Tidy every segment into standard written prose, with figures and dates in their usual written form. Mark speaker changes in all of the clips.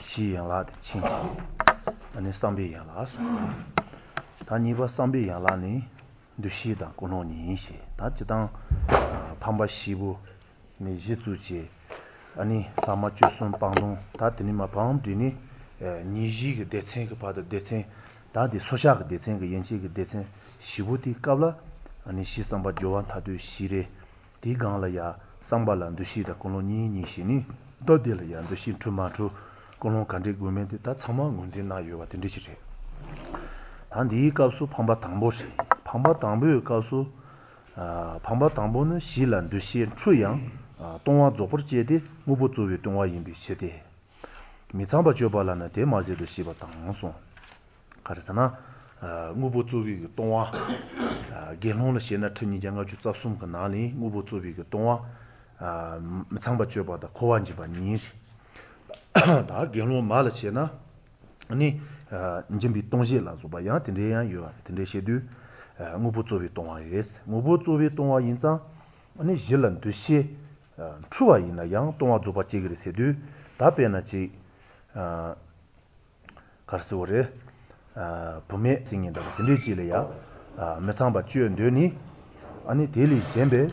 Speaker 1: 西洋拉的亲戚，那上边洋拉说，他你把上边洋拉呢，就西当共同认识，他就当旁边西部那些组织，你他们就算帮助，他对你们帮助呢，你这个得成个把的得成，他的所下个得成个引起个得成，西部的搞了，你西上把就往他对西的，地讲了呀，上把人都西的共同认识呢，到底了呀，都西出马出。共同感觉国民的他怎么文字那有啊？真的是这。他第一告诉旁边党部是，旁边党部告诉旁边党部呢，西南都先出洋东华做不接的，我不作为东华人民写的。米仓把就把了呢，对马这都西把党送，可是呢，我不作为个东华言论了现在听你讲个就找送个哪里，我不作为个东华米仓把就把的科完就把你是。다 경로 말치나 아니 이제 비 동시 라서 봐야 된대야 요 된대 시도 무부 조비 동화에스 무부 조비 동화 인상 아니 질란 두시 추와이나 양 동화 조바 제기를 세도 답변하지 가르소레 봄에 생긴다 된대 지래야 매상바 주연되니 아니 데리 셴베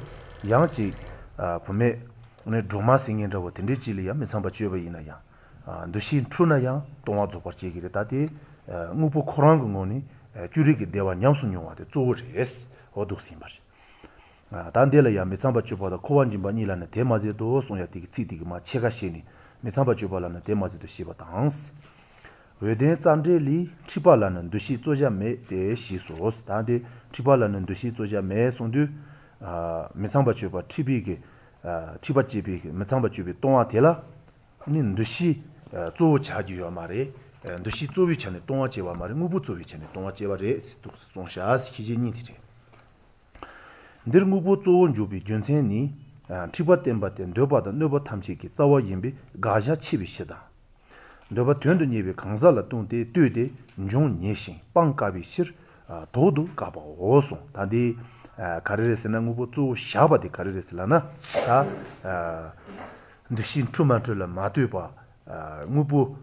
Speaker 1: 양지 봄에 오늘 드라마 생긴다고 된대 지래야 매상바 주여이나야 도시 트루나야 동화 조버지 얘기를 다디 무부 코란 거니 주리게 대와 냠순용한테 조르스 어둑신 말이 단델이야 메상바주보다 코완진반이라는 대마제도 송야티기 찌디기마 체가시니 메상바주발라는 대마제도 시바당스 외대 짠데리 치발라는 도시 조자메 대시소스 다디 치발라는 도시 조자메 송두 메상바주바 티비게 치바지비 메상바주비 동화텔라 닌 도시 조 자주요 말에 도시 조위 전에 동화제와 말에 무부 조위 전에 동화제와래 송샤스 기진이지 늘 무부 조원 주비 전생이 티바템바템 너바다 너바 탐지기 자와 임비 가샤 치비시다 너바 된도 예비 강살라 동대 되대 종 예신 빵가비 실 도도 가바 오송 다디 가르레스나 무부 조 샤바디 가르레스라나 다 도시 투마틀라 마투바 무부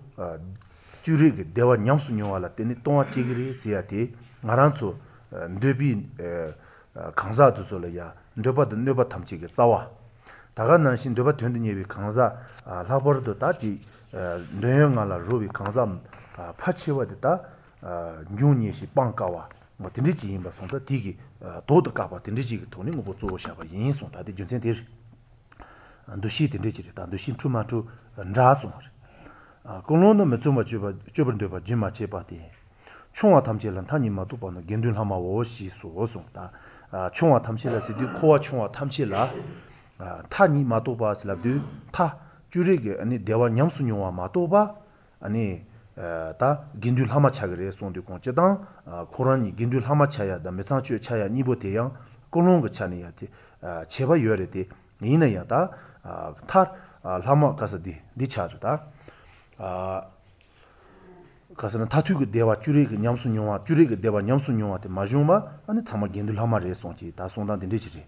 Speaker 1: 주리게 대와 냠수뇨와라 때니 동아 찌기리 시야티 마란소 뇌비 강사도 솔이야 뇌바도 뇌바 탐지게 싸와 다가난신 뇌바 된든 예비 강사 라버도 다지 뇌영알라 로비 강사 파치와다 뉴니시 빵가와 뭐 딘디지 임바 손다 디기 도도 가바 딘디지 돈이 뭐 조샤바 인송 다디 준센데 도시 딘디지 다 도시 투마투 라소 공론은 몇좀마 줘버는데 지마 제바디 총화 탐지란 타니마도 보는 겐든 하마 오시 소송다 총화 탐지라시디 코와 총화 탐지라 타니마도 바슬라드 타 주리게 아니 대와 냠수뇨와 마도바 아니 다 겐들 하마 차그레 손디 공제당 코란이 겐들 하마 차야다 메상주 차야 니보대양 공론 거 차니야티 제바 요래디 니나야다 타 라마 가서디 디차르다 가서는 타투그 대와 주리그 냠수뇨와 주리그 대와 냠수뇨와테 마주마 아니 참마 겐들 하마레 손지 다 손단 된디지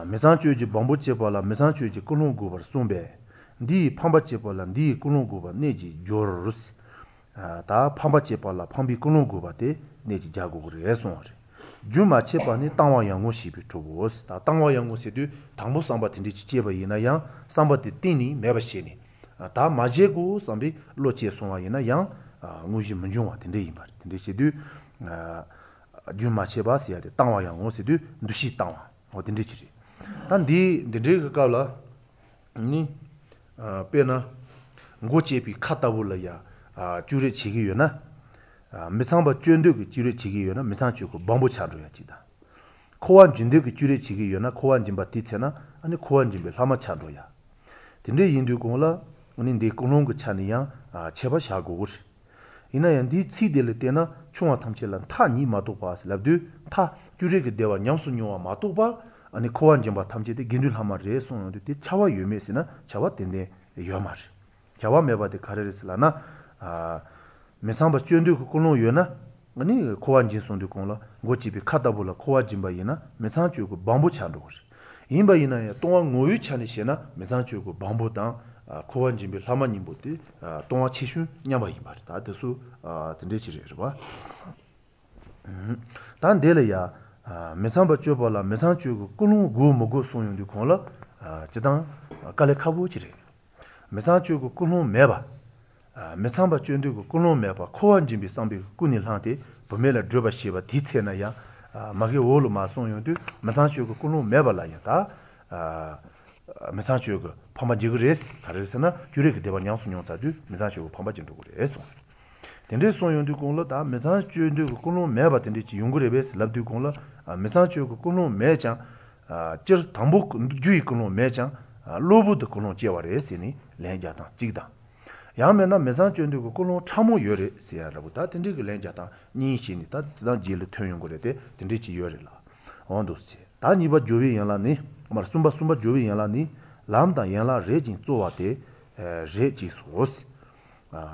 Speaker 1: 메산주지 bombo체발라 메산주지 콜롱고버 손베 디 팜바체발라 디 콜롱고버 네지 조르스 다 팜바체발라 팜비 콜롱고바테 네지 자고그레 손어리 주마체바니 땅와 양고 시비 투보스 다 땅와 양고 세두 당보 상바 된디지 제바 이나야 상바티 띠니 메바시니 다 마제고 삼비 로치에 송아이나 양 무지 문종와 된데 이 말. 근데 시두 주마체바시야 땅와 양고 시두 두시 땅와 어딘데 지리. 단디 데데 가라 니 페나 고체비 카타불라야 주레 지기요나 메상바 쫀데 그 주레 지기요나 메상주고 bombo 차로야지다. 코완 진데 그 주레 지기요나 코완 진바 티체나 아니 코완 진베 라마 차로야. 근데 인도 공라 우린데 공론 그 차니야 제바 샤고르 이나얀디 치델 때나 총아 탐체란 타니 마도바스 랍드 타 주레게 대와 냠수뇨와 마도바 아니 코완 점바 탐체데 겐들 하마레 손데 차와 유메스나 차와 텐데 요마르 차와 메바데 카레스라나 메상바 쫀데 그 공론 요나 아니 코완 진손데 공라 고치비 카다불라 코와 짐바이나 메상주고 밤부 차도르 임바이나야 동안 모유 차니시나 메상주고 밤부당 코완진비 라마님보디 동화 치슌 냐바이 말다 대수 든데지레르바 단 데려야 메상바 쭈발라 메상쭈고 꾸누 고모고 소용디 콜라 지당 깔레카부지레 메상쭈고 꾸누 메바 메상바 쭈인디고 꾸누 메바 코완진비 상비 꾸닐한테 보멜라 드바시바 디체나야 마게 올로 마송용디 메상쭈고 꾸누 메발라야다 메상쭈고 파마지그레스 가르스나 주레게 대바 냥수뇽사주 메상쭈고 파마진도 그래서 덴데 소용디 콜라 다 메상쭈인디고 꾸누 메바 덴데 용그레베스 랍디 콜라 메상쭈고 꾸누 메장 저 담복 주의 꾸누 메장 로부드 꾸누 제와레스니 렌자다 지다 야메나 메상쭈인디고 꾸누 참모 요레 세야라보다 덴데 그 렌자다 니신이 다 지단 지를 토용고레데 덴데 지 요레라 온도스 다 니바 조비 양라니 말 숨바 조비 양라니 람다 양라 레진 쪼와데 레지 소스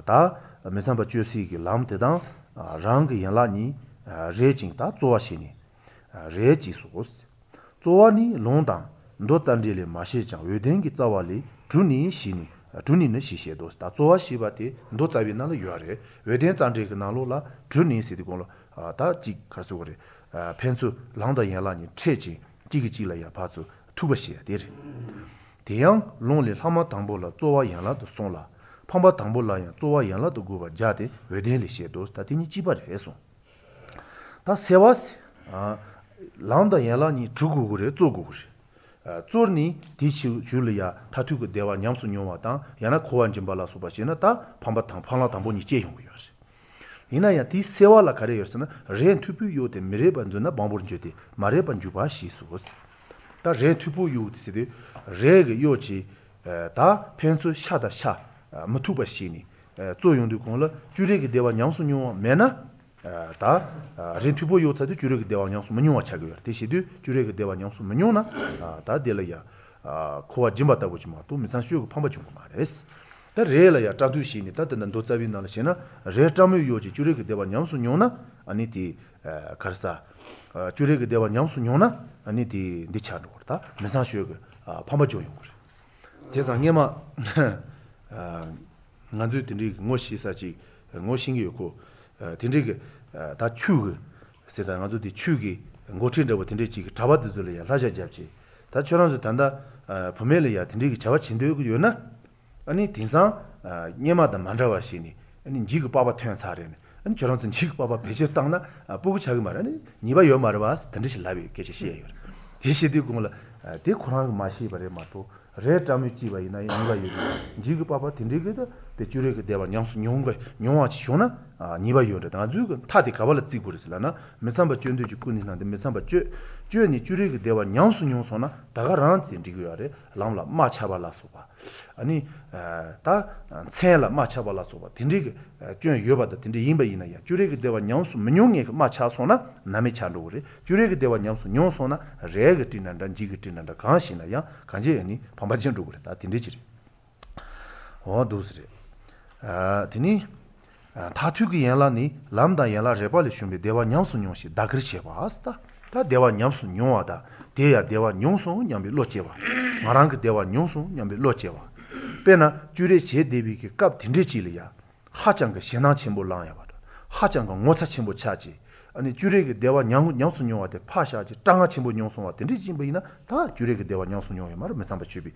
Speaker 1: 다 메상바 쭈시기 람데다 랑기 양라니 레진 다 쪼와시니 레지 소스 쪼와니 롱다 노잔딜레 마시장 외den기 짜와리 주니 시니 주니는 시셰도스 다 쪼와시바데 노자비나로 요아레 외den 잔데기 나로라 주니 시디고로 다지 가수고레 펜수 랑다 양라니 체지 지기지라야 파수 투버시야 데리 대양 롱리 하마 당보라 쪼와 양라도 송라 팜바 당보라야 쪼와 양라도 고바 자데 외덴리 시도스 다티니 지바레소 다 세와스 랑다 양라니 주고고레 쪼고고시 쪼르니 디치 줄이야 타투고 대와 냠수 뇽와다 야나 코완 짐발라 소바시나 다 팜바 당 팔라 당보니 제용고요시 이나야 디 세와라 가레였으나 렌 투부 요데 미레반주나 방보르제데 마레반주바 시수스 다 레투부 요티데 레게 요치 다 펜수 샤다 샤 무투바시니 조용도 공라 주레게 대와 냥수뇽 메나 다 렌투부 요차데 주레게 대와 냥수 문뇽 차고요 대시도 주레게 대와 냥수 문뇽나 다 델야 코와 짐바다 보지마 또 미산슈고 팜바주고 말레스 다 레라야 짜두시니 다든 도자비나르시나 레타무 요지 주레게 대와 냥수 뇽나 아니티 카르사 주레게 대와 냥수 뇽나 아니티 디차도 그렇다 메사슈고 팜바조용 그래 제상에마 나주 딘리 모시사지 모싱이고 딘리게 다 추고 세다 나주디 추기 고친데고 딘리지 잡아드들이야 라자잡지 다 저런서 단다 범엘이야 딘리게 잡아 친도고 요나 아니 딘상 녀마다 만자와시니 아니 지그 바바 태연 사례네 아니 저런선 지그 바바 배제 땅나 보고 자기 말하니 니바 요 말을 봐서 던듯이 라비 계시시에요 대시디 공을 대 코랑 마시 버레 마도 레타미 지바이나 니바 요 지그 바바 딘리게도 대주레게 대바 냥수 뇽거 뇽아치 쇼나 니바 요데 다주 타디 가발을 찍고르슬라나 메삼바 쩐도지 꾸니난데 메삼바 쭈니 주레게 대바 냥수 뇽소나 다가란 딘디고야레 람라 마차발라소바 아니 다 쳔라 마차발라소바 딘디게 쭈 요바다 딘디 임바이나야 주레게 대바 냥수 문용에 마차소나 나메 찬도레 주레게 대바 냥수 뇽소나 레게 띠난다 지게 띠난다 간시나야 간제니 반바진도 그래 다 딘디지리 도스레 드니 타투기 연라니 람다 연라 레발이 shum비 대와 냠수 뇽시 다그르체바스다 다 대와 냠수 뇽와다 대야 대와 뇽수 냠비 로체바 마랑그 대와 뇽수 냠비 로체바 페나 주레 제 대비기 깝 딘데지리야 하장그 신앙 침보랑야 바다 하장그 모차 침보 차지 아니 주레게 대와 냠수 뇽와데 파샤지 땅아 침보 뇽수와 딘데지보이나 다 주레게 대와 냠수 뇽이 말 메삼바 주비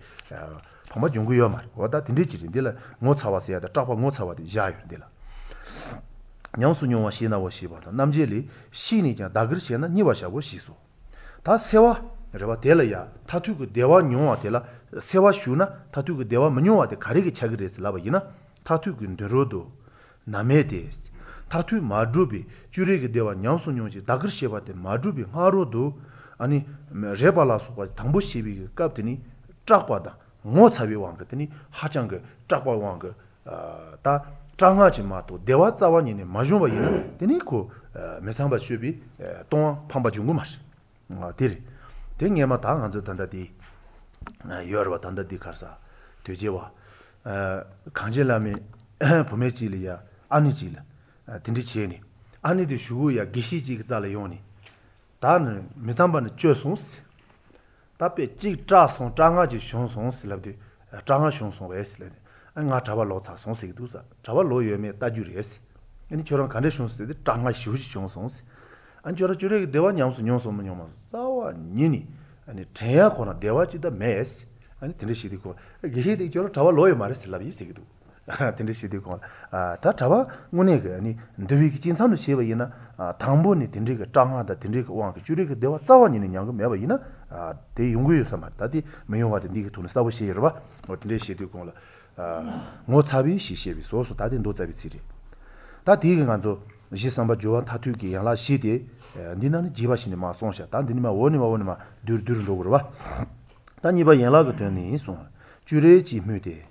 Speaker 1: 파마 용구요 말 와다 딘데지린데라 모차와서야다 딱바 모차와데 야요데라 냥수뇽와 시나와 시바다 남제리 시니자 다그르시나 니와샤고 시소 다 세와 레바 델야 타투그 대와 뇽와 델라 세와 슈나 타투그 대와 문뇽와데 가리게 차그레스 라바이나 타투그 드로도 나메데스 타투 마드루비 주레게 대와 냥수뇽지 다그르시바데 마드루비 하로도 아니 레발라소가 당보시비 깝드니 짝바다 모차비 왕거더니 하장그 짝바 왕거 다 장하지 마도 대화 자원이네 마주바이나 되니고 메상바 슈비 동 판바 중고 마시 데리 댕에마 당 안저 단다디 여러와 단다디 가서 되제와 강제라미 보메지리야 아니지라 딘디치에니 아니디 슈고야 기시지 자라요니 다는 메상바는 쮸송스 답에 찌 짜송 장하지 숑송스 랍디 장아 숑송 베스레 nga chaba lo cha song se du sa chaba lo ye me ta ju res ani choran kan de shong se de tanga shu ji chong song se an chora jure dewa nyam su nyong so mo nyom sa wa ni ni ani theya ko na dewa chi da mes ani tinde shi di ko ge de chora chaba lo ye ma res la bi se du tinde shi di ko ta chaba ngone ge ani ndewi ki jin sam de she ba yina 당보 ni tinde ge changa da tinde ge wang ge jure ge dewa za wa ni nyang ge me ba yina de yong gu yu sa ma da di me yo wa de ni ge tu ne sa bo shi ye ba tinde shi di ko la ngô 차비 시시비 소소 다된 도자비 지리 다 디게 간조 지상바 조한 타투기 양라 시디 니나는 지바시니 마 송샤 단디니마 원니마 두르두르 로그로 봐 단이바 양라가 되니 송 주레지 뮤데